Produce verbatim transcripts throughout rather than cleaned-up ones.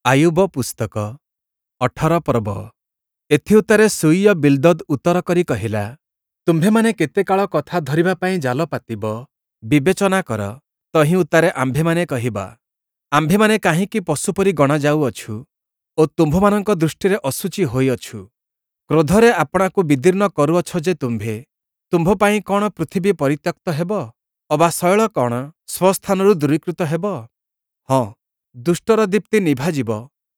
ଆୟୁବ ପୁସ୍ତକ ଅଠର ପର୍ବ। ଏଥିଉତ୍ତାରେ ଶୂୟୀୟ ବିଲ୍ଦଦ୍ ଉତ୍ତର କରି କହିଲା, ତୁମ୍ଭେମାନେ କେତେ କାଳ କଥା ଧରିବା ପାଇଁ ଜାଲ ପାତିବ? ବିବେଚନା କର, ତହିଁ ଉତ୍ତାରେ ଆମ୍ଭେମାନେ କହିବା। ଆମ୍ଭେମାନେ କାହିଁକି ପଶୁ ପରି ଗଣାଯାଉଅଛୁ ଓ ତୁମ୍ଭମାନଙ୍କ ଦୃଷ୍ଟିରେ ଅଶୁଚି ହୋଇଅଛୁ? କ୍ରୋଧରେ ଆପଣାକୁ ବିଦୀର୍ଣ୍ଣ କରୁଅଛ ଯେ ତୁମ୍ଭେ, ତୁମ୍ଭ ପାଇଁ କଅଣ ପୃଥିବୀ ପରିତ୍ୟକ୍ତ ହେବ? ଅବା ଶୈଳ କଅଣ ସ୍ୱସ୍ଥାନରୁ ଦୂରୀକୃତ ହେବ? ହଁ, ଦୁଷ୍ଟର ଦୀପ୍ତି ନିଭାଯିବ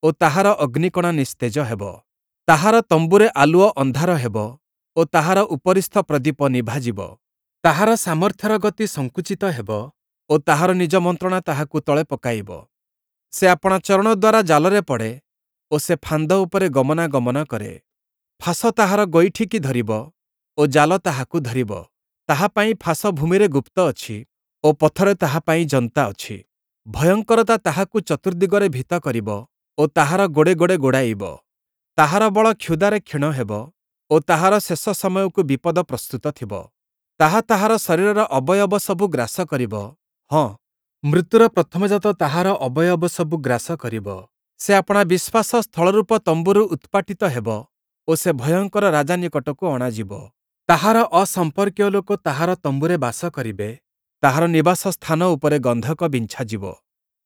ଓ ତାହାର ଅଗ୍ନିକଣା ନିସ୍ତେଜ ହେବ। ତାହାର ତମ୍ବୁରେ ଆଲୁଅ ଅନ୍ଧାର ହେବ ଓ ତାହାର ଉପରିସ୍ଥ ପ୍ରଦୀପ ନିଭାଯିବ। ତାହାର ସାମର୍ଥ୍ୟର ଗତି ସଙ୍କୁଚିତ ହେବ ଓ ତାହାର ନିଜ ମନ୍ତ୍ରଣା ତାହାକୁ ତଳେ ପକାଇବ। ସେ ଆପଣା ଚରଣ ଦ୍ୱାରା ଜାଲରେ ପଡ଼େ ଓ ସେ ଫାନ୍ଦ ଉପରେ ଗମନାଗମନ କରେ। ଫାଶ ତାହାର ଗୋଇଠିକି ଧରିବ ଓ ଜାଲ ତାହାକୁ ଧରିବ। ତାହା ପାଇଁ ଫାଶ ଭୂମିରେ ଗୁପ୍ତ ଅଛି ଓ ପଥରେ ତାହା ପାଇଁ ଯନ୍ତା ଅଛି। ଭୟଙ୍କରତା ତାହାକୁ ଚତୁର୍ଦ୍ଦିଗରେ ଭୀତ କରିବ ଓ ତାହାର ଗୋଡ଼େ ଗୋଡ଼େ ଗୋଡ଼ାଇବ। ତାହାର ବଳ କ୍ଷୁଧାରେ କ୍ଷୀଣ ହେବ ଓ ତାହାର ଶେଷ ସମୟକୁ ବିପଦ ପ୍ରସ୍ତୁତ ଥିବ। ତାହା ତାହାର ଶରୀରର ଅବୟବ ସବୁ ଗ୍ରାସ କରିବ, ହଁ, ମୃତ୍ୟୁର ପ୍ରଥମଜାତ ତାହାର ଅବୟବ ସବୁ ଗ୍ରାସ କରିବ। ସେ ଆପଣା ବିଶ୍ୱାସ ସ୍ଥଳରୂପ ତମ୍ବୁରୁ ଉତ୍ପାଟିତ ହେବ ଓ ସେ ଭୟଙ୍କର ରାଜା ନିକଟକୁ ଅଣାଯିବ। ତାହାର ଅସମ୍ପର୍କୀୟ ଲୋକ ତାହାର ତମ୍ବୁରେ ବାସ କରିବେ, ତାହାର ନିବାସ ସ୍ଥାନ ଉପରେ ଗନ୍ଧକ ବିଞ୍ଛାଯିବ।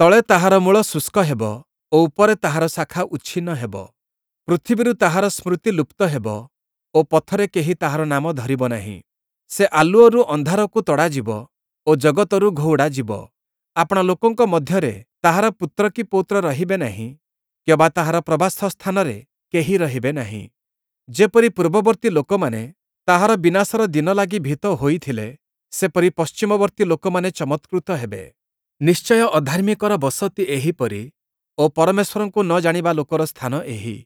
ତଳେ ତାହାର ମୂଳ ଶୁଷ୍କ ହେବ ଓ ଉପରେ ତାହାର ଶାଖା ଉଚ୍ଛିନ୍ନ ହେବ। ପୃଥିବୀରୁ ତାହାର ସ୍ମୃତି ଲୁପ୍ତ ହେବ ଓ ପଥରେ କେହି ତାହାର ନାମ ଧରିବ ନାହିଁ। ସେ ଆଲୁଅରୁ ଅନ୍ଧାରକୁ ତଡ଼ାଯିବ ଓ ଜଗତରୁ ଘଉଡ଼ାଯିବ। ଆପଣା ଲୋକଙ୍କ ମଧ୍ୟରେ ତାହାର ପୁତ୍ର କି ପୌତ୍ର ରହିବେ ନାହିଁ କିଅବା ତାହାର ପ୍ରବାସ ସ୍ଥାନରେ କେହି ରହିବେ ନାହିଁ। ଯେପରି ପୂର୍ବବର୍ତ୍ତୀ ଲୋକମାନେ ତାହାର ବିନାଶର ଦିନ ଲାଗି ଭୀତ ହୋଇଥିଲେ, ସେପରି ପଶ୍ଚିମବର୍ତ୍ତୀ ଲୋକମାନେ ଚମତ୍କୃତ ହେବେ। ନିଶ୍ଚୟ ଅଧାର୍ମିକର ବସତି ଏହିପରି ଓ ପରମେଶ୍ୱରଙ୍କୁ ନ ଜାଣିବା ଲୋକର ସ୍ଥାନ ଏହି।